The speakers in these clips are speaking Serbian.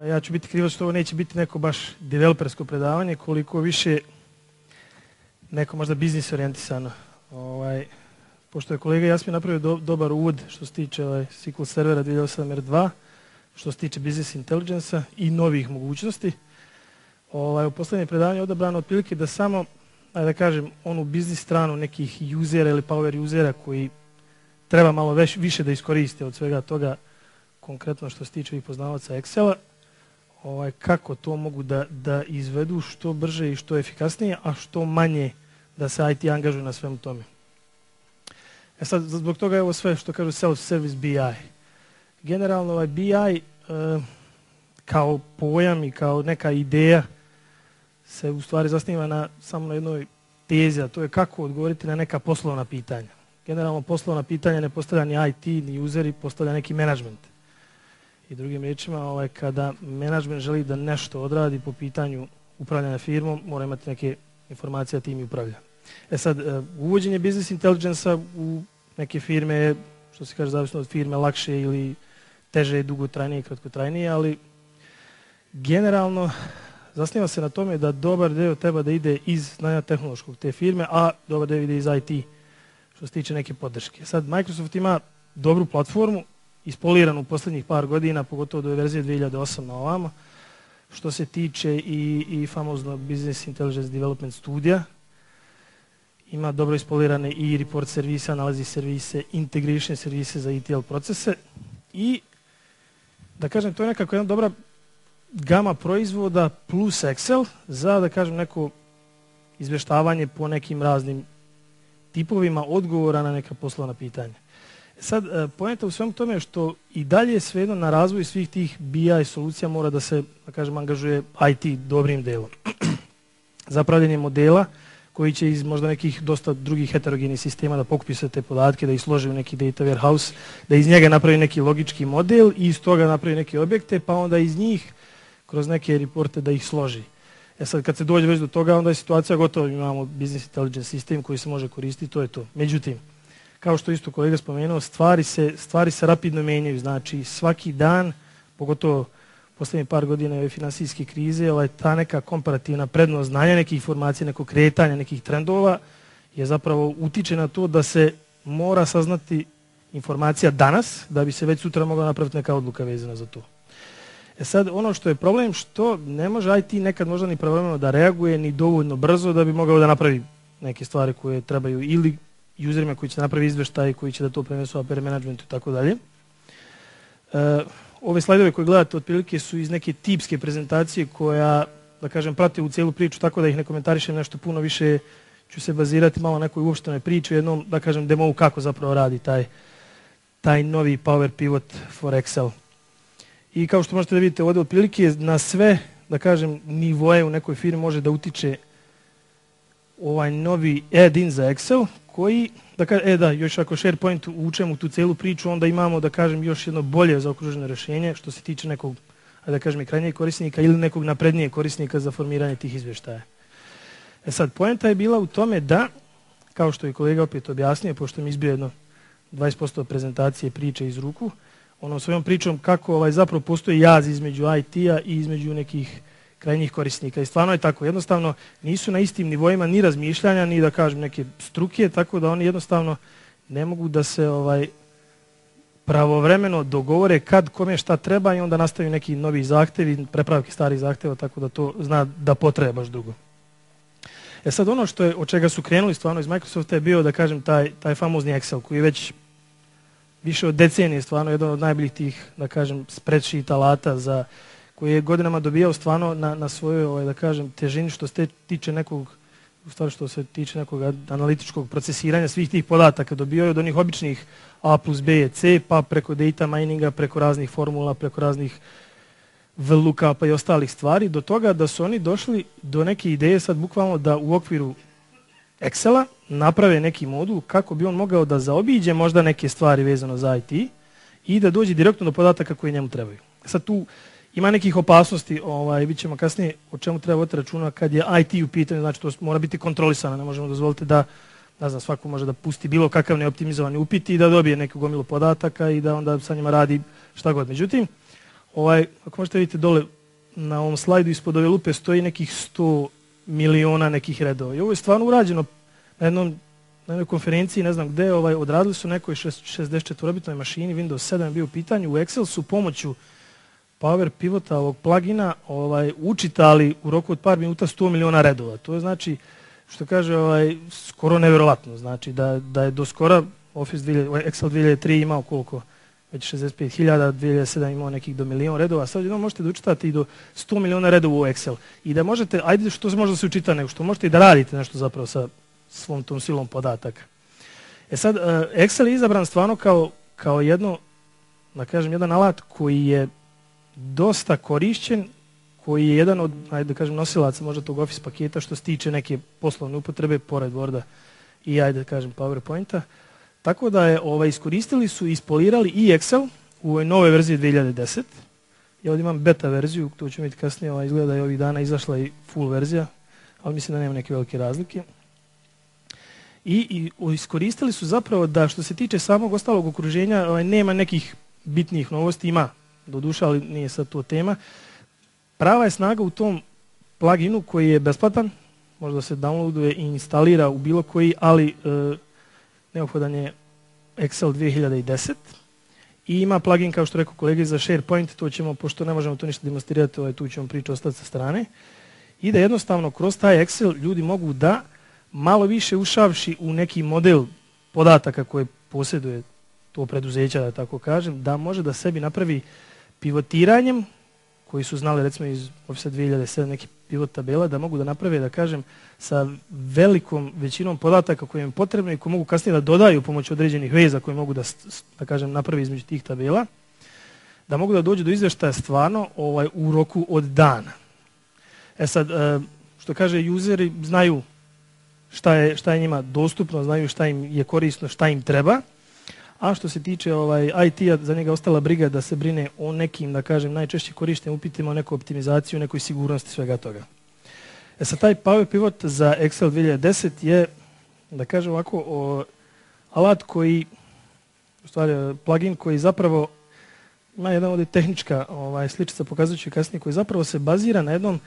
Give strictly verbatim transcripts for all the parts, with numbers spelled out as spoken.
Ja ću biti krivo što ovo neće biti neko baš developersko predavanje, koliko više neko možda biznis orijentisano. Ovaj, pošto je kolega Jasmin napravio do, dobar uvod što se tiče ovaj, S Q L servera dvije hiljade osam R dva, što se tiče business intelligence-a i novih mogućnosti. Ovaj, u poslednje predavanje je odabrano otprilike da samo, ajde da kažem, onu biznis stranu nekih usera ili power usera koji treba malo već, više da iskoriste od svega toga, konkretno što se tiče i poznavaca Excela, ovaj, kako to mogu da, da izvedu što brže i što efikasnije, a što manje da se I T angažuje na svemu tome. E sad, zbog toga je ovo sve što kažu self-service B I. Generalno ovaj B I e, kao pojam i kao neka ideja se u stvari zasniva na, samo na jednoj tezi, a to je kako odgovoriti na neka poslovna pitanja. Generalno poslovna pitanja ne postavlja ni I T, ni useri, postavlja neki menadžment. I drugim riječima, ovaj, kada menadžment želi da nešto odradi po pitanju upravljanja firmom, mora imati neke informacije da tim i upravlja. E sad, uvođenje business intelligence-a u neke firme je, što se kaže, zavisno od firme, lakše ili teže, dugotrajnije i kratkotrajnije, ali generalno zasniva se na tome da dobar deo treba da ide iz znanja tehnološkog te firme, a dobar deo ide iz I T, što se tiče neke podrške. Sad, Microsoft ima dobru platformu, ispoliranu u posljednjih par godina, pogotovo do verzije dvije hiljade osam na ovamo, što se tiče i, i famozno Business Intelligence Development studija. Ima dobro ispolirane i report servise, analizi servise, integration servise za E T L procese i, da kažem, to je nekako jedna dobra gama proizvoda plus Excel za, da kažem, neko izveštavanje po nekim raznim tipovima odgovora na neka poslovna pitanja. Sad, poenta u svemu tome je što i dalje svejedno na razvoju svih tih B I solucija mora da se, da kažem, angažuje I T dobrim delom. Za pravljenje modela koji će iz možda nekih dosta drugih heterogenih sistema da pokupi sve te podatke, da ih složi u neki data warehouse, da iz njega napravi neki logički model i iz toga napravi neke objekte, pa onda iz njih kroz neke reporte da ih složi. E sad, kad se dođe već do toga, onda je situacija gotova, imamo business intelligence sistem koji se može koristiti, to je to. Međutim, kao što isto kolega spomenuo, stvari se, stvari se rapidno menjaju, znači svaki dan, pogotovo posljednje par godina ove finansijske krize, ovaj, ta neka komparativna prednost znanja nekih informacija, nekog kretanja, nekih trendova je zapravo utiče na to da se mora saznati informacija danas, da bi se već sutra mogla napraviti neka odluka vezana za to. E sad, ono što je problem, što ne može I T nekad možda ni pravovremeno da reaguje, ni dovoljno brzo da bi mogao da napravi neke stvari koje trebaju ili userima koji će napravi izveštaj, koji će da to prenesu A P R managementu i tako dalje. Ove slajdove koje gledate otprilike su iz neke tipske prezentacije koja, da kažem, prate u cijelu priču, tako da ih ne komentarišem nešto puno više, ću se bazirati malo na nekoj uopštenoj priči, jednom, da kažem, demo kako zapravo radi taj, taj novi Power Pivot for Excel. I kao što možete da vidite ovdje, otprilike na sve, da kažem, nivoje u nekoj firmi može da utiče ovaj novi add-in za Excel, koji, da kažem, e da, još ako SharePoint učemo tu celu priču, onda imamo, da kažem, još jedno bolje zaokruženo rješenje što se tiče nekog, da kažem, i krajnjeg korisnika ili nekog naprednijeg korisnika za formiranje tih izvještaja. E sad, poenta je bila u tome da, kao što je kolega opet objasnio, pošto mi izbio jedno dvadeset posto prezentacije priče iz ruku, onom svojom pričom kako ovaj, zapravo postoji jaz između I T-a i između nekih krajnjih korisnika. I stvarno je tako. Jednostavno nisu na istim nivoima ni razmišljanja, ni da kažem neke struke, tako da oni jednostavno ne mogu da se ovaj pravovremeno dogovore kad kome šta treba i onda nastaju neki novi zahtevi, prepravke starih zahteva, tako da to zna da potreba baš dugo. E sad ono što je, od čega su krenuli stvarno iz Microsofta je bio, da kažem, taj, taj famozni Excel koji je već više od decenije stvarno jedan od najboljih tih, da kažem, spreadsheet alata za koji je godinama dobijao stvarno na, na svojoj, ovaj, da kažem, težini što se tiče nekog, u stvari što se tiče nekog analitičkog procesiranja svih tih podataka. Dobio je od onih običnih A plus B je C, pa preko data mininga, preko raznih formula, preko raznih V lookupa i ostalih stvari, do toga da su oni došli do neke ideje sad bukvalno da u okviru Excela naprave neki modul kako bi on mogao da zaobiđe možda neke stvari vezano za I T i da dođe direktno do podataka koji njemu trebaju. Sad tu ima nekih opasnosti, ovaj, vidjet ćemo kasnije o čemu treba voditi računa kad je I T u pitanju, znači to mora biti kontrolisano, ne možemo dozvoliti da, ne znam, svako može da pusti bilo kakav neoptimizovani upit i da dobije neku gomilu podataka i da onda sa njima radi šta god. Međutim, Ovaj, ako možete vidjeti dole na ovom slajdu ispod ove lupe stoji nekih sto miliona nekih redova. I ovo je stvarno urađeno na jednom na jednoj konferenciji, ne znam gde, ovaj, odradili su nekoj šezdeset četvorobitnoj mašini, Windows sedam je bio u pitanju, u Excel su pomoću Power Pivota, ovog plugina, ovaj, učitali u roku od par minuta sto miliona redova. To je znači, što kaže, ovaj, skoro nevjerovatno. Znači da, da je do skora Office Excel dvije hiljade tri imao koliko? Već šezdeset pet hiljada, dvije hiljade sedam imao nekih do milion redova, sad jednom možete da učitate i do sto miliona redova u Excel. I da možete, ajde što se može da se učita, nego što možete i da radite nešto zapravo sa svom tom silom podataka. E sad, Excel je izabran stvarno kao, kao jedno, da kažem, jedan alat koji je dosta korišćen, koji je jedan od, ajde da kažem, nosilaca možda tog Office paketa što se tiče neke poslovne upotrebe, pored Worda i, ajde da kažem, PowerPointa. Tako da je, ovaj, iskoristili su i ispolirali i Excel u ovoj nove verziji dvije hiljade deset. Ja ovdje imam beta verziju, to ćemo vidjeti kasnije, ovaj, izgleda da je ovih dana izašla i full verzija, ali mislim da nema neke velike razlike. I, i iskoristili su zapravo da što se tiče samog ostalog okruženja, ovaj, nema nekih bitnijih novosti, ima doduše, ali nije sad to tema. Prava je snaga u tom pluginu koji je besplatan, možda se downloaduje i instalira u bilo koji, ali e, neophodan je Excel dvije hiljade deset i ima plugin, kao što rekao kolege, za SharePoint, to ćemo, pošto ne možemo to ništa demonstrirati, ovaj, tu ćemo priču ostati sa strane, i da jednostavno kroz taj Excel ljudi mogu da malo više ušavši u neki model podataka koje posjeduje to preduzeća, da tako kažem, da može da sebi napravi pivotiranjem, koji su znali recimo iz Office dvije hiljade sedam neki pivot tabela, da mogu da naprave, da kažem, sa velikom većinom podataka koje im je potrebno i koje mogu kasnije da dodaju pomoću određenih veza koje mogu da, da kažem, napravi između tih tabela, da mogu da dođu do izveštaja stvarno ovaj, u roku od dana. E sad, što kaže, useri znaju šta je, šta je njima dostupno, znaju šta im je korisno, šta im treba. A što se tiče ovaj, I T-a, za njega ostala briga da se brine o nekim, da kažem, najčešće korištenim upitima, o nekoj optimizaciji, o nekoj sigurnosti svega toga. E sad, taj Power Pivot za Excel dvije hiljade deset je, da kažem ovako, o, alat koji, u stvari plugin koji zapravo ima jedna ovdje tehnička ovaj, sličica, pokazujući kasnije, koji zapravo se bazira na jednom,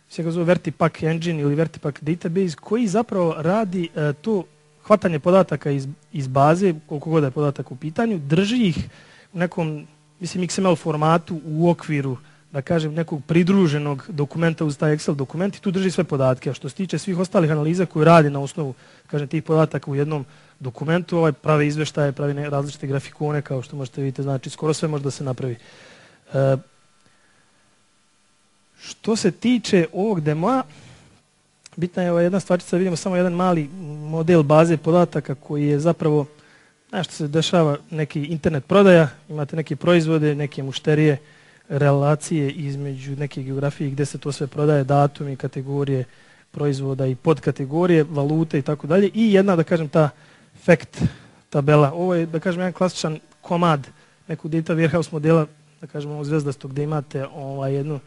se ga zove Vertipack Engine ili Vertipack Database, koji zapravo radi e, to hvatanje podataka iz, iz baze, koliko god je podatak u pitanju, drži ih u nekom, mislim, X M L formatu u okviru, da kažem, nekog pridruženog dokumenta uz taj Excel dokument i tu drži sve podatke. A što se tiče svih ostalih analiza koje radi na osnovu, kažem, tih podataka u jednom dokumentu, ovaj, prave izveštaje, pravi različite grafikone, kao što možete vidjeti, znači skoro sve može da se napravi. E, što se tiče ovog demoa, bitna je ova jedna stvarčica, vidimo samo jedan mali model baze podataka koji je zapravo, nešto se dešava, neki internet prodaja, imate neke proizvode, neke mušterije, relacije između neke geografije gdje se to sve prodaje, datumi, kategorije proizvoda i podkategorije, valute i tako dalje. I jedna, da kažem, ta fact tabela. Ovo je, da kažem, jedan klasičan komad nekog data warehouse modela, da kažem, ovo zvezdastog, gdje imate ovaj, jednu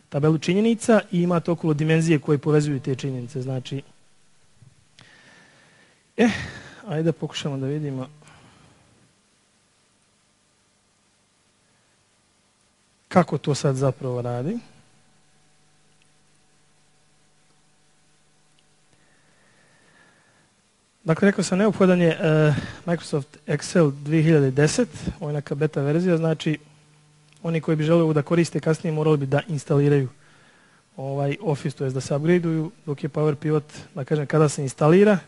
tabelu činjenica i imate okolo dimenzije koje povezuju te činjenice. Znači, eh, ajde da pokušamo da vidimo. Kako to sad zapravo radi? Dakle, rekao sam, neophodan je uh, Microsoft Excel dvije hiljade deset, ovo je neka beta verzija, znači oni koji bi želeli da koriste kasnije morali bi da instaliraju ovaj Office, to jest da se upgradeuju, dok je Power Pivot, da kažem, kada se instalira,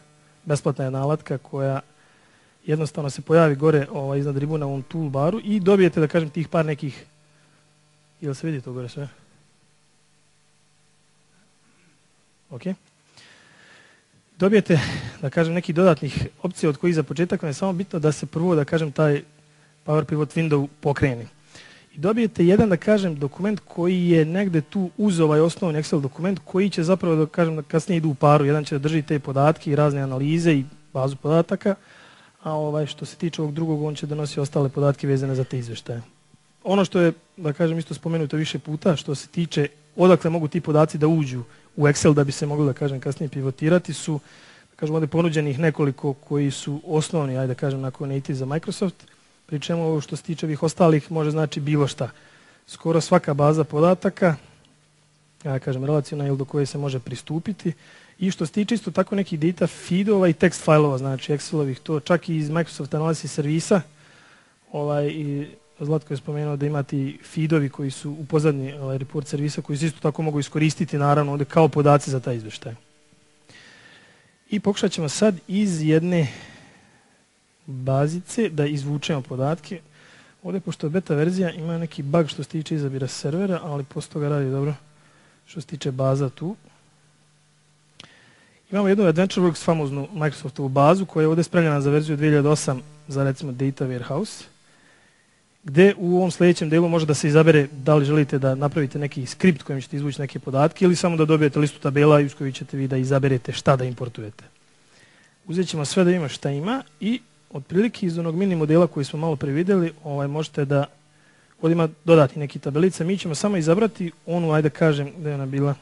besplatna je nalatka koja jednostavno se pojavi gore ovaj, iznad ribuna u ovom toolbaru i dobijete, da kažem, tih par nekih. Jel se vidi to gore sve? Ok. Dobijete, da kažem, nekih dodatnih opcija od kojih za početak je samo bitno da se prvo, da kažem, taj Power Pivot window pokreni. I dobijete jedan, da kažem, dokument koji je negde tu uz ovaj osnovni Excel dokument koji će zapravo, da kažem, da kasnije idu u paru. Jedan će da drži te podatke i razne analize i bazu podataka, a ovaj, što se tiče ovog drugog, on će donosi ostale podatke vezane za te izveštaje. Ono što je, da kažem, isto spomenuto više puta, što se tiče odakle mogu ti podaci da uđu u Excel da bi se mogli, da kažem, kasnije pivotirati, su, da kažem, ovdje ponuđenih nekoliko koji su osnovni, ajde da kažem, nakon native za Microsoft, pri čemu ovo što se tiče ovih ostalih može znači bilo šta. skoro svaka baza podataka, ja kažem relacijona ili do koje se može pristupiti. I što se tiče isto tako nekih data feedova i tekst fajlova, znači Excelovih, to čak i iz Microsoft Analysis servisa, ovaj, i Zlatko je spomenuo da imate i feedovi koji su u pozadnji ovaj, report servisa koji se isto tako mogu iskoristiti naravno ovdje kao podaci za taj izvještaj. I pokušat ćemo sad iz jedne bazice da izvučemo podatke. Ovdje, pošto je beta verzija, ima neki bug što se tiče izabira servera, ali posto toga radi dobro što se tiče baza tu. Imamo jednu AdventureWorks famoznu Microsoftovu bazu koja je ovdje spremljena za verziju dvije hiljade osam za recimo Data Warehouse, gdje u ovom sljedećem delu može da se izabere da li želite da napravite neki skript kojim ćete izvući neke podatke ili samo da dobijete listu tabela iz kojih ćete vi da izaberete šta da importujete. Uzet ćemo sve da ima šta ima i otprilike iz onog mini modela koji smo malo previdjeli ovaj, možete da ovdje ima dodati neki tabelice. Mi ćemo samo izabrati onu, ajde kažem gdje je ona bila,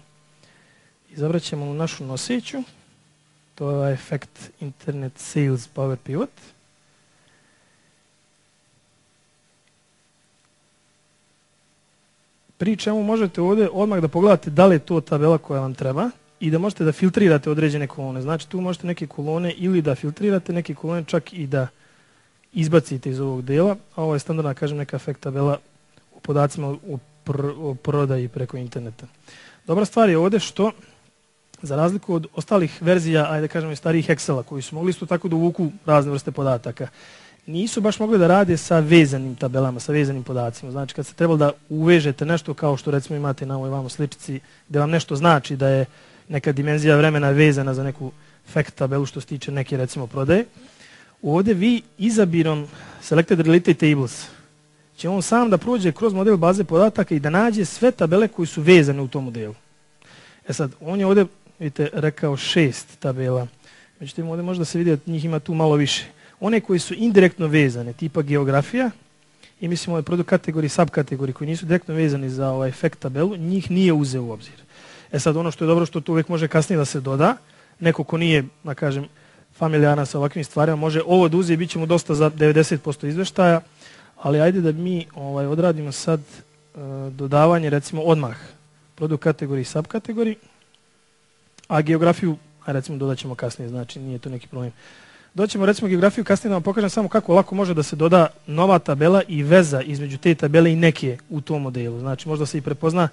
izabrat ćemo u našu noseću, to je Effect Internet Sales Power Pivot. Pri čemu možete ovdje odmah da pogledate da li je to tabela koja vam treba i da možete da filtrirate određene kolone. Znači tu možete neke kolone ili da filtrirate neke kolone, čak i da izbacite iz ovog dela. A ovo je standardna, kažem, neka efekt tabela u podacima o, pr o prodaji preko interneta. Dobra stvar je ovdje što, za razliku od ostalih verzija, ajde kažemo i starijih Excela, koji su mogli isto tako da uvuku razne vrste podataka, nisu baš mogli da rade sa vezanim tabelama, sa vezanim podacima. Znači kad se trebalo da uvežete nešto kao što recimo imate na ovoj vamo sličici, gdje vam nešto znači da je neka dimenzija vremena vezana za neku fact tabelu što se tiče neke recimo prodaje, ovdje vi izabirom Selected Related Tables će on sam da prođe kroz model baze podataka i da nađe sve tabele koji su vezane u tom modelu. E sad, on je ovdje, vidite, rekao šest tabela. Međutim, ovdje možda se vidi da njih ima tu malo više. One koji su indirektno vezane, tipa geografija, i mislim ove produkt kategorije, subkategorije koji nisu direktno vezani za ovaj efekt tabelu, njih nije uzeo u obzir. E sad, ono što je dobro, što to uvijek može kasnije da se doda, neko ko nije, da kažem, familijaran sa ovakvim stvarima, može ovo da uze i bit će mu dosta za devedeset posto izveštaja, ali ajde da mi ovaj, odradimo sad uh, dodavanje, recimo odmah, produkt kategorije i subkategorije, a geografiju, a recimo dodat ćemo kasnije, znači nije to neki problem. Doćemo recimo geografiju, kasnije da vam pokažem samo kako lako može da se doda nova tabela i veza između te tabele i neke u tom modelu. Znači možda se i prepozna,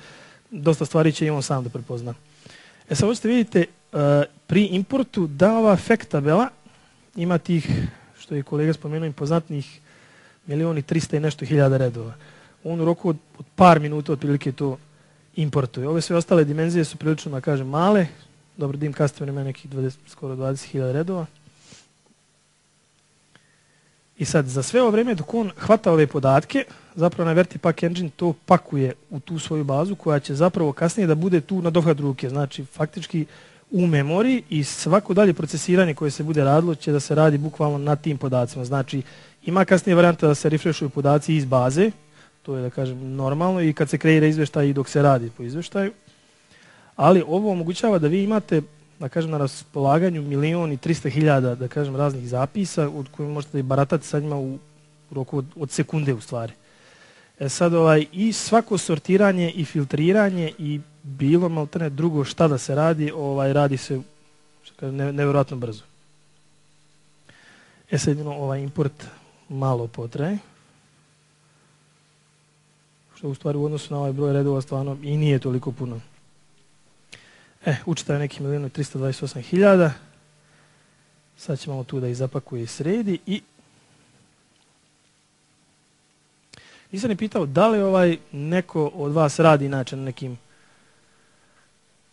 dosta stvari će i on sam da prepozna. E sad hoćete vidite uh, pri importu da ova efekt tabela ima tih, što je kolega spomenuo, impozantnih milioni trista i nešto hiljada redova. On u roku od, od par minuta otprilike to importuje. Ove sve ostale dimenzije su prilično, da kažem, male. Dobro, dim customer ima nekih dvadeset, skoro dvadeset hiljada redova. I sad, za sve ovo vrijeme dok on hvata ove podatke, zapravo na Vertipack Engine to pakuje u tu svoju bazu koja će zapravo kasnije da bude tu na dohvat ruke. Znači, faktički u memoriji i svako dalje procesiranje koje se bude radilo će da se radi bukvalno na tim podacima. Znači, ima kasnije varijanta da se refreshuju podaci iz baze, to je da kažem normalno, i kad se kreira izvještaj i dok se radi po izvještaju. Ali ovo omogućava da vi imate, da kažem, na raspolaganju milion i trista hiljada, da kažem, raznih zapisa od kojih možete i baratati sa njima u roku od, od sekunde u stvari. E sad, ovaj, i svako sortiranje i filtriranje i bilo maltene drugo šta da se radi, ovaj, radi se ne, nevjerojatno brzo. E sad, jedino, ovaj import malo potraje, što u stvari u odnosu na ovaj broj redova stvarno i nije toliko puno. E, učita je neki milijon i trista dvadeset osam hiljada. Sad ćemo tu da ih zapakuje i sredi i nisam ni pitao da li ovaj neko od vas radi inače na nekim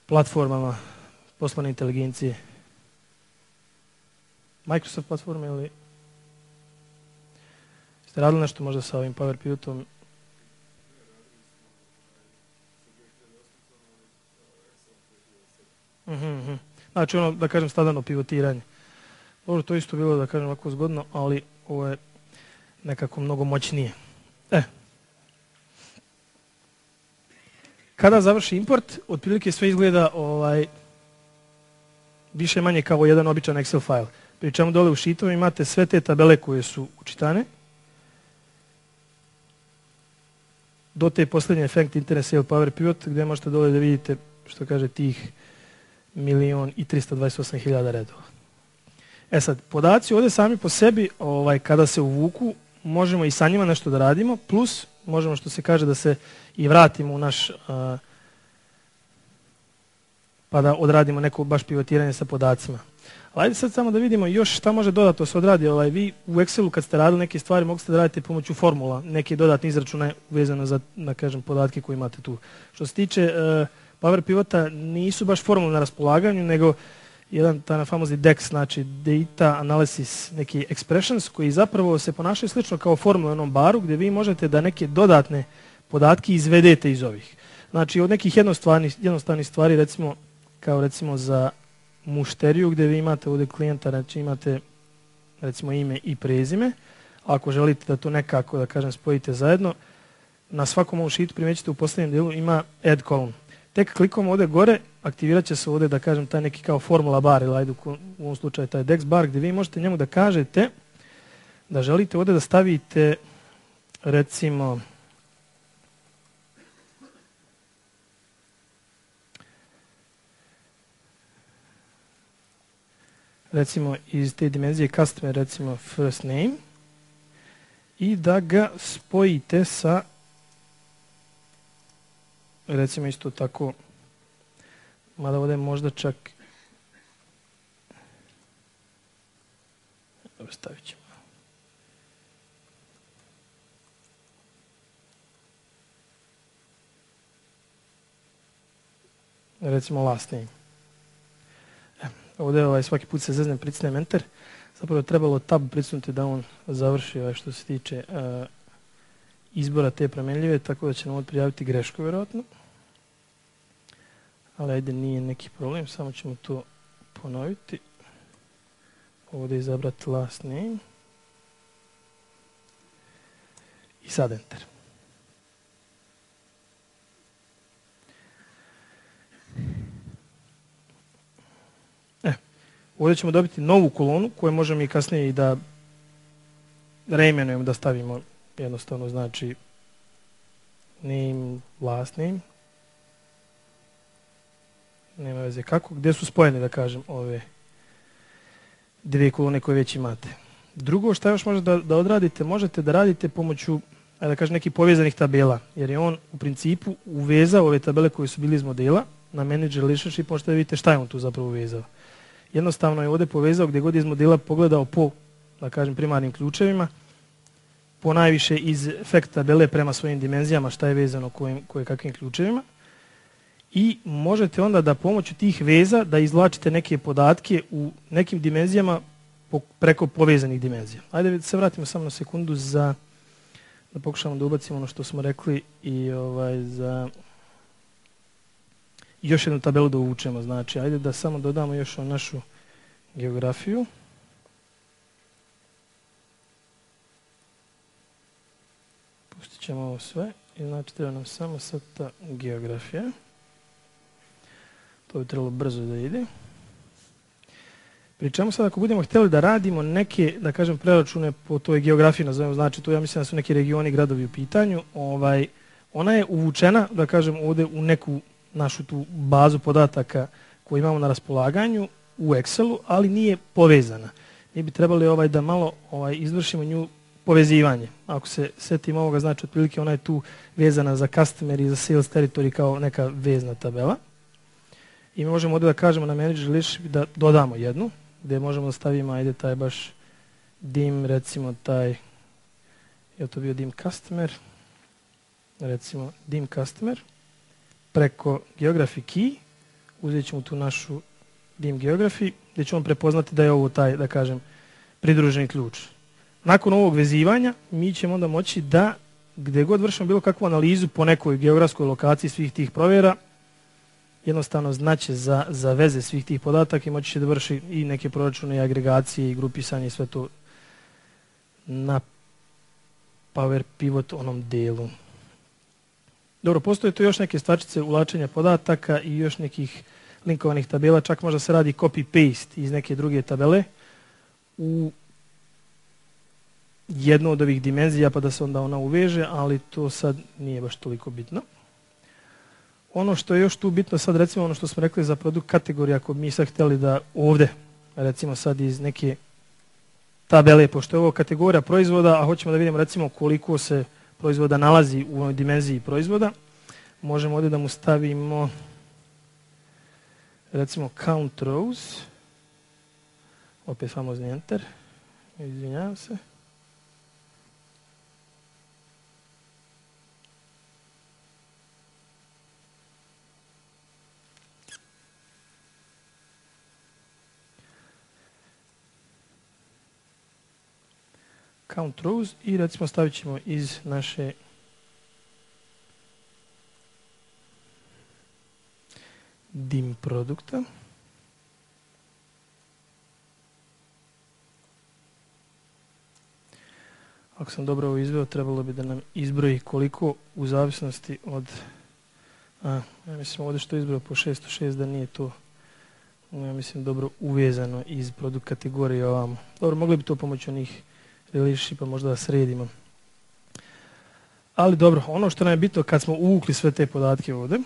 platformama poslovne inteligencije. Microsoft platforme ili ste radili nešto možda sa ovim Power Pivotom? Uh-huh. Znači ono, da kažem, standardno pivotiranje. Dobro, to isto bilo, da kažem, ovako zgodno, ali ovo je nekako mnogo moćnije. E. Kada završi import, otprilike sve izgleda ovaj, više manje kao jedan običan Excel file. Pri čemu dole u sheetovi imate sve te tabele koje su učitane. do te posljednje Fact Internet Sale Power Pivot gdje možete dole da vidite što kaže tih milion i tristo dvadeset osam hiljada redova. E sad, podaci ovdje sami po sebi, ovaj, kada se uvuku, možemo i sa njima nešto da radimo, plus možemo što se kaže da se i vratimo u naš, a, pa da odradimo neko baš pivotiranje sa podacima. Ali ajde sad samo da vidimo još šta može dodatno se odradi. Ovaj, vi u Excelu kad ste radili neke stvari mogli ste da radite pomoću formula, neke dodatne izračune vezano za, da kažem, podatke koje imate tu. Što se tiče uh, Power Pivota, nisu baš formule na raspolaganju, nego jedan taj famozni D E X, znači Data Analysis, neki expressions, koji zapravo se ponašaju slično kao formula u onom baru, gdje vi možete da neke dodatne podatke izvedete iz ovih. Znači od nekih jednostavnih, jednostavnih stvari, recimo, kao recimo za mušteriju, gdje vi imate ovdje klijenta, znači imate recimo ime i prezime. Ako želite da to nekako, da kažem, spojite zajedno, na svakom ovom sheetu primećete u posljednjem dijelu ima add column. Tek klikom ovdje gore, aktivirat će se ovdje, da kažem, taj neki kao formula bar, ili ajde u ovom slučaju taj D E X bar, gdje vi možete njemu da kažete da želite ovdje da stavite, recimo, recimo iz te dimenzije customer, recimo first name, i da ga spojite sa, recimo isto tako, mada ovdje možda čak, dobro, stavit ćemo. Recimo last name. Ovdje ovaj, svaki put se zeznem, pricnem enter. Zapravo je trebalo tab pricnuti da on završi ovaj, što se tiče uh, izbora te promenljive, tako da će nam ovdje prijaviti grešku vjerojatno. Ali ajde, nije neki problem, samo ćemo to ponoviti. Ovdje izabrati last name. I sad enter. Ovdje ćemo dobiti novu kolonu koju možemo i kasnije i da reimenujemo, da stavimo jednostavno, znači name, last name. Nema veze kako, gdje su spojene, da kažem, ove dvije kolone koje već imate. Drugo što još možete da, da odradite, možete da radite pomoću, da kažem, nekih povezanih tabela, jer je on u principu uvezao ove tabele koje su bili iz modela na Manage Relationship, možete da vidite šta je on tu zapravo uvezao. Jednostavno je ovdje povezao gdje god iz modela pogledao po, da kažem, primarnim ključevima, po najviše iz fact tabele prema svojim dimenzijama šta je vezano kojim, koje kakvim ključevima. I možete onda da pomoću tih veza da izvlačite neke podatke u nekim dimenzijama po, preko povezanih dimenzija. Ajde se vratimo samo na sekundu za da pokušamo da ubacimo ono što smo rekli i ovaj za još jednu tabelu da uvučemo. Znači, ajde da samo dodamo još o našu geografiju. Pustit ćemo ovo sve i znači treba nam samo sad ta geografija. To bi trebalo brzo da ide. Pri čemu sad ako budemo htjeli da radimo neke, da kažem, preračune po toj geografiji, nazovemo, znači tu ja mislim da su neki regioni, gradovi u pitanju, ovaj, ona je uvučena, da kažem, ovdje u neku našu tu bazu podataka koju imamo na raspolaganju u Excelu, ali nije povezana. Mi bi trebali ovaj da malo ovaj izvršimo nju povezivanje. Ako se setimo ovoga, znači otprilike ona je tu vezana za customer i za sales territory kao neka vezna tabela. I mi možemo ovdje da kažemo na Manage Relationship da dodamo jednu, gdje možemo da stavimo, ajde, taj baš dim, recimo taj, je to bio dim customer, recimo dim customer, preko geography key, uzet ćemo tu našu dim geography, gdje ćemo prepoznati da je ovo taj, da kažem, pridruženi ključ. Nakon ovog vezivanja, mi ćemo onda moći da, gdje god vršimo bilo kakvu analizu po nekoj geografskoj lokaciji svih tih provjera, jednostavno znaće za, za veze svih tih podataka i moći će da vrši i neke proračune i agregacije i grupisanje i sve to na Power Pivot onom delu. Dobro, postoje tu još neke stvarčice uvlačenja podataka i još nekih linkovanih tabela, čak možda se radi copy-paste iz neke druge tabele u jednu od ovih dimenzija pa da se onda ona uveže, ali to sad nije baš toliko bitno. Ono što je još tu bitno sad, recimo ono što smo rekli za produkt kategorije, ako mi sad htjeli da ovdje, recimo sad iz neke tabele, pošto je ovo kategorija proizvoda, a hoćemo da vidimo recimo koliko se proizvoda nalazi u ovoj dimenziji proizvoda, možemo ovdje da mu stavimo recimo count rows, opet famozni enter, izvinjavam se. Count rows i recimo stavit ćemo iz naše dim produkta. Ako sam dobro ovo izveo, trebalo bi da nam izbroji koliko u zavisnosti od... A, ja mislim ovdje što je izbrojao po šesto šest da nije to, ja mislim, dobro uvezano iz produkt kategorije ovamo. Dobro, mogli bi to pomoći onih relationshipa možda da sredimo. Ali dobro, ono što nam je bitno kad smo uvukli sve te podatke ovdje,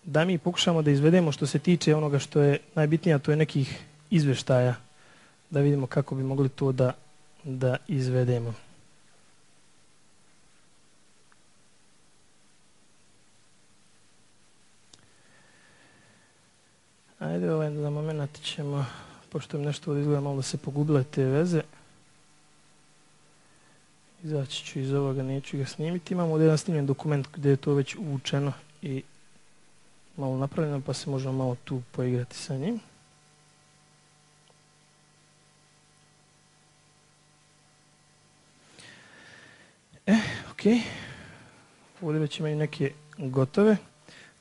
da mi pokušamo da izvedemo što se tiče onoga što je najbitnije, a to je nekih izvještaja, da vidimo kako bi mogli to da, da izvedemo. Ajde, ovaj za moment ćemo, pošto mi nešto ovdje izgleda malo da se pogubile te veze, izaći ću iz ovoga, neću ga snimiti. Imamo ovdje jedan snimljen dokument gdje je to već uvučeno i malo napravljeno, pa se možemo malo tu poigrati sa njim. E, ok. Ovdje već imaju neke gotove.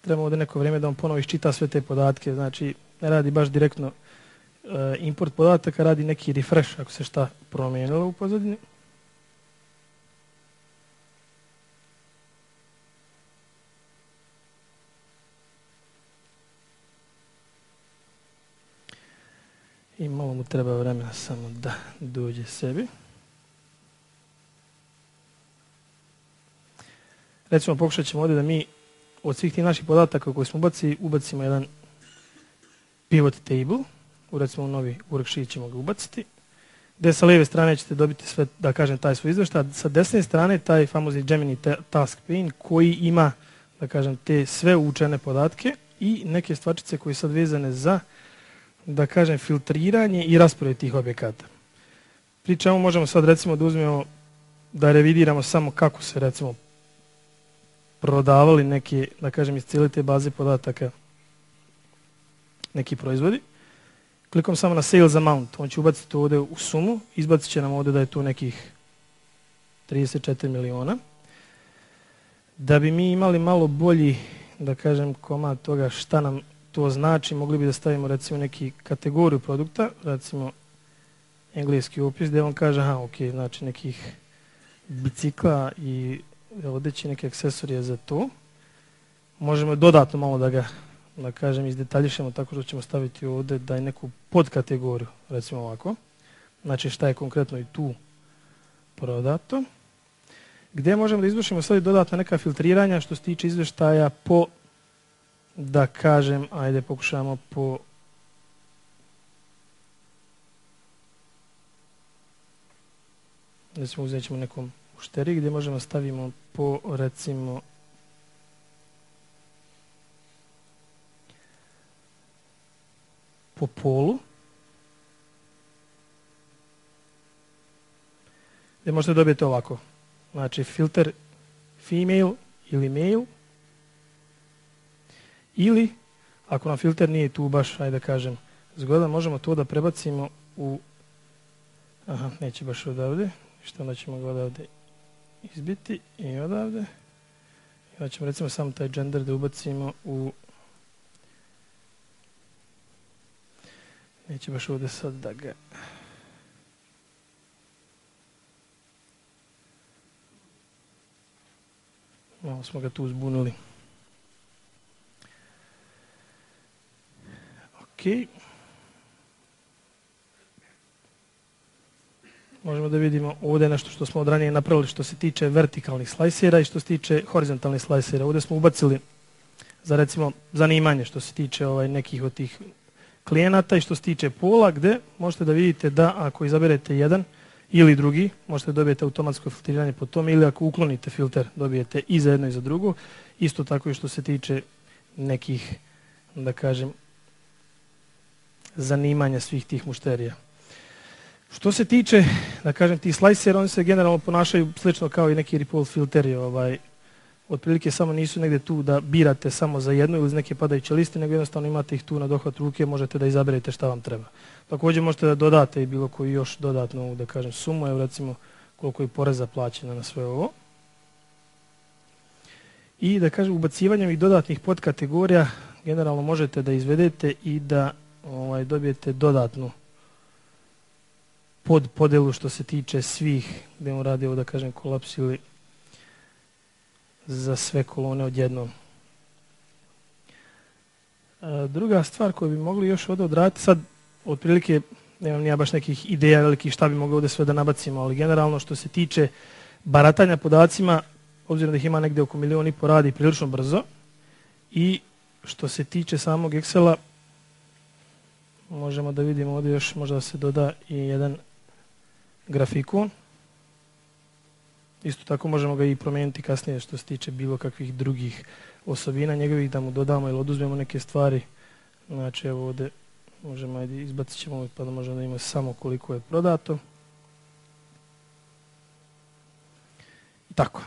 Trebamo ovdje neko vrijeme da on ponovo iščita sve te podatke. Znači, ne radi baš direktno uh, import podataka, radi neki refresh ako se šta promijenilo u pozadini. I malo mu treba vremena samo da dođe sebi. Recimo, pokušat ćemo ovdje da mi od svih tih naših podataka koje smo ubacili, ubacimo jedan pivot table. U recimo novi worksheet ćemo ga ubaciti. Gdje sa lijeve strane ćete dobiti sve, da kažem, taj svoj izvještaj. Sa desne strane taj famozni Gemini task pane koji ima, da kažem, te sve učene podatke i neke stvarčice koje su sad vezane za, da kažem, filtriranje i raspored tih objekata. Pri čemu možemo sad recimo da uzmemo, da revidiramo samo kako se recimo prodavali neki, da kažem, iz cijele te baze podataka neki proizvodi. Klikom samo na sales amount, on će ubaciti ovdje u sumu, izbacit će nam ovdje da je tu nekih trideset četiri miliona. Da bi mi imali malo bolji, da kažem, komad toga šta nam to znači, mogli bi da stavimo recimo neki kategoriju produkta, recimo engleski opis, gdje on kaže, aha, ok, znači nekih bicikla i odeći neke aksesorije za to. Možemo dodatno malo da ga, da kažem, izdetaljišemo tako što ćemo staviti ovdje da je neku podkategoriju, recimo ovako. Znači šta je konkretno i tu prodato. Gdje možemo da izvršimo sad i dodatna neka filtriranja što se tiče izvještaja po, da kažem, ajde pokušamo po recimo uzet ćemo nekom ušteri gdje možemo stavimo po recimo po polu gdje možete dobiti ovako, znači filter female ili male, ili ako nam filter nije tu baš, ajde da kažem, zgodan, možemo to da prebacimo u, aha, neće baš odavde, što onda ćemo ga odavde izbiti i odavde. I onda ćemo recimo samo taj gender da ubacimo u, neće baš ovdje sad da ga, malo smo ga tu zbunili. Ok. možemo da vidimo ovdje nešto što smo od ranije napravili što se tiče vertikalnih slajsera i što se tiče horizontalnih slajsera. Ovdje smo ubacili za recimo zanimanje što se tiče ovaj, nekih od tih klijenata i što se tiče pola, gdje možete da vidite da ako izaberete jedan ili drugi, možete da dobijete automatsko filtriranje po tome, ili ako uklonite filter dobijete i za jedno i za drugo. Isto tako i što se tiče nekih, da kažem, zanimanja svih tih mušterija. Što se tiče, da kažem, tih slajsera, oni se generalno ponašaju slično kao i neki report filteri. Ovaj, otprilike samo nisu negdje tu da birate samo za jednu ili iz neke padajuće liste, nego jednostavno imate ih tu na dohvat ruke, možete da izaberete šta vam treba. Također možete da dodate i bilo koju još dodatnu, da kažem, sumu, evo recimo koliko je poreza plaćeno na sve ovo. I da kažem, ubacivanjem i dodatnih podkategorija generalno možete da izvedete i da ovaj, dobijete dodatnu pod podelu što se tiče svih, gdje on radi ovo, da kažem, kolaps ili za sve kolone odjednom. E, druga stvar koju bi mogli još ovdje odraditi, sad otprilike nemam nija baš nekih ideja velikih šta bi mogli ovdje sve da nabacimo, ali generalno što se tiče baratanja podacima, obzirom da ih ima negdje oko milion i po, radi prilično brzo. I što se tiče samog Excela, možemo da vidimo ovdje još, možda se doda i jedan grafikon. Isto tako možemo ga i promijeniti kasnije što se tiče bilo kakvih drugih osobina njegovih, da mu dodamo ili oduzmemo neke stvari. Znači evo ovdje možemo, ajde, izbacit ćemo pa da možemo da imamo samo koliko je prodato. I tako.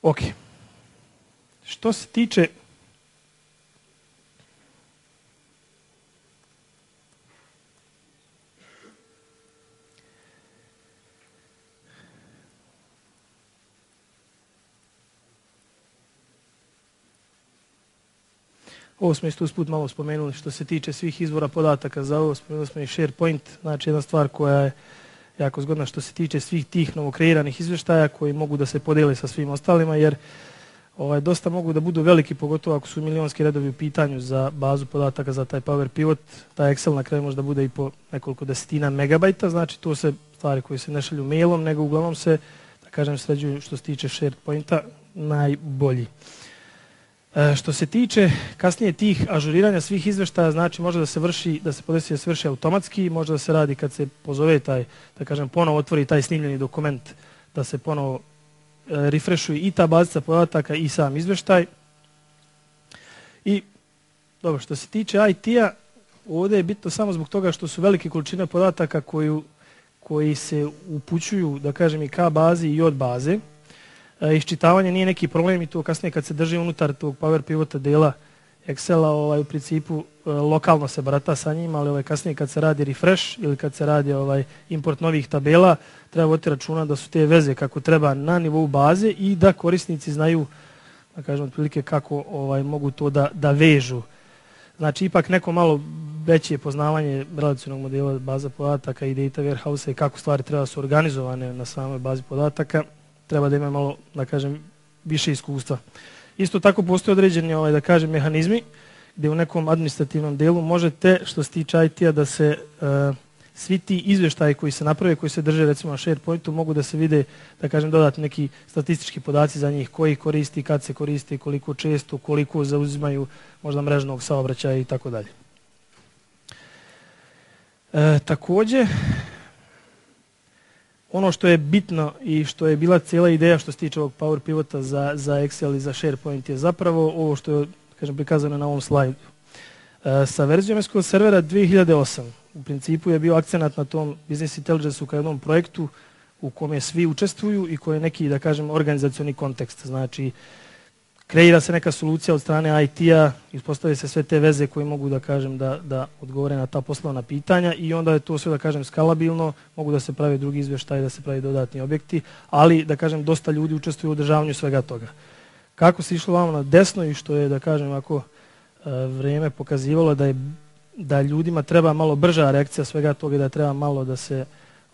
Ok. Što se tiče ovo smo isto usput malo spomenuli, što se tiče svih izvora podataka za ovo, spomenuli smo i SharePoint, znači jedna stvar koja je jako zgodna što se tiče svih tih novokreiranih izvještaja koji mogu da se podijele sa svim ostalima, jer ovaj, dosta mogu da budu veliki, pogotovo ako su milionski redovi u pitanju za bazu podataka za taj Power Pivot. Taj Excel na kraju može da bude i po nekoliko desetina megabajta, znači to se stvari koje se ne šalju mailom, nego uglavnom se, da kažem, sređuju što se tiče SharePointa najbolji. E, što se tiče kasnije tih ažuriranja svih izvještaja, znači može da se vrši, da se podesi da se vrši automatski, može da se radi kad se pozove taj, da kažem, ponovo otvori taj snimljeni dokument, da se ponovo e, refreshuje i ta bazica podataka i sam izvještaj. I dobro, što se tiče I T-a, ovdje je bitno samo zbog toga što su velike količine podataka koju, koji se upućuju, da kažem, i ka bazi i od baze. E, iščitavanje nije neki problem i to kasnije kad se drži unutar tog Power Pivota dela Excela, ovaj, u principu e, lokalno se barata sa njima, ali ovaj, kasnije kad se radi refresh ili kad se radi ovaj, import novih tabela, treba voditi računa da su te veze kako treba na nivou baze i da korisnici znaju, da kažem, otprilike kako ovaj, mogu to da, da vežu. Znači, ipak neko malo veće poznavanje relacionog modela baza podataka i data warehouse i kako stvari treba su organizovane na samoj bazi podataka, treba da ima malo, da kažem, više iskustva. Isto tako postoje određeni, ovaj, da kažem, mehanizmi gdje u nekom administrativnom delu možete, što se tiče I T-a, da se uh, svi ti izvještaji koji se naprave, koji se drže recimo na SharePointu, mogu da se vide, da kažem, dodati neki statistički podaci za njih, koji koristi, kad se koristi, koliko često, koliko zauzimaju možda mrežnog saobraćaja i tako dalje. E, također, ono što je bitno i što je bila cijela ideja što se tiče ovog Power Pivota za, za Excel i za SharePoint je zapravo ovo što je, kažem, prikazano na ovom slajdu. E, sa verzijom S Q L servera dvije hiljade osam u principu je bio akcenat na tom Business Intelligence-u kao jednom projektu u kome svi učestvuju i koji je neki, da kažem, organizacioni kontekst. Znači, kreira se neka solucija od strane I T-a, ispostavljaju se sve te veze koje mogu, da kažem, da, da odgovore na ta poslovna pitanja i onda je to sve, da kažem, skalabilno, mogu da se pravi drugi izvještaj, da se pravi dodatni objekti, ali, da kažem, dosta ljudi učestvuju u održavanju svega toga. Kako se išlo vamo na desno i što je, da kažem, ako vrijeme pokazivalo da je da ljudima treba malo brža reakcija svega toga i da treba malo da se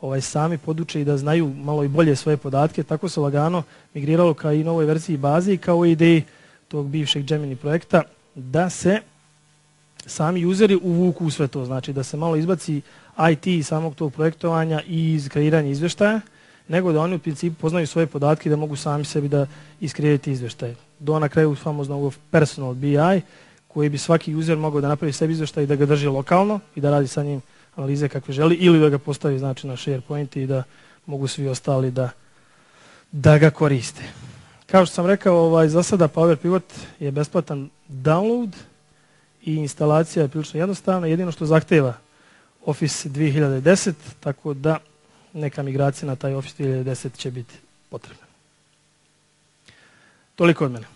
ovaj, sami poduče i da znaju malo i bolje svoje podatke. Tako se lagano migriralo ka i novoj verziji baze i kao ideji tog bivšeg Gemini projekta da se sami useri uvuku u sve to. Znači da se malo izbaci I T iz samog tog projektovanja i iz kreiranja izveštaja, nego da oni u principu poznaju svoje podatke i da mogu sami sebi da iskreiraju izveštaje. Do na kraju famoznog personal B I, koji bi svaki user mogao da napravi sebi izveštaj i da ga drži lokalno i da radi sa njim analize kakve želi, ili da ga postavi znači, na SharePoint i da mogu svi ostali da, da ga koriste. Kao što sam rekao, ovaj, za sada Power Pivot je besplatan download i instalacija je prilično jednostavna, jedino što zahteva Office dvije hiljade deset, tako da neka migracija na taj Office dvije hiljade deset će biti potrebna. Toliko od mene.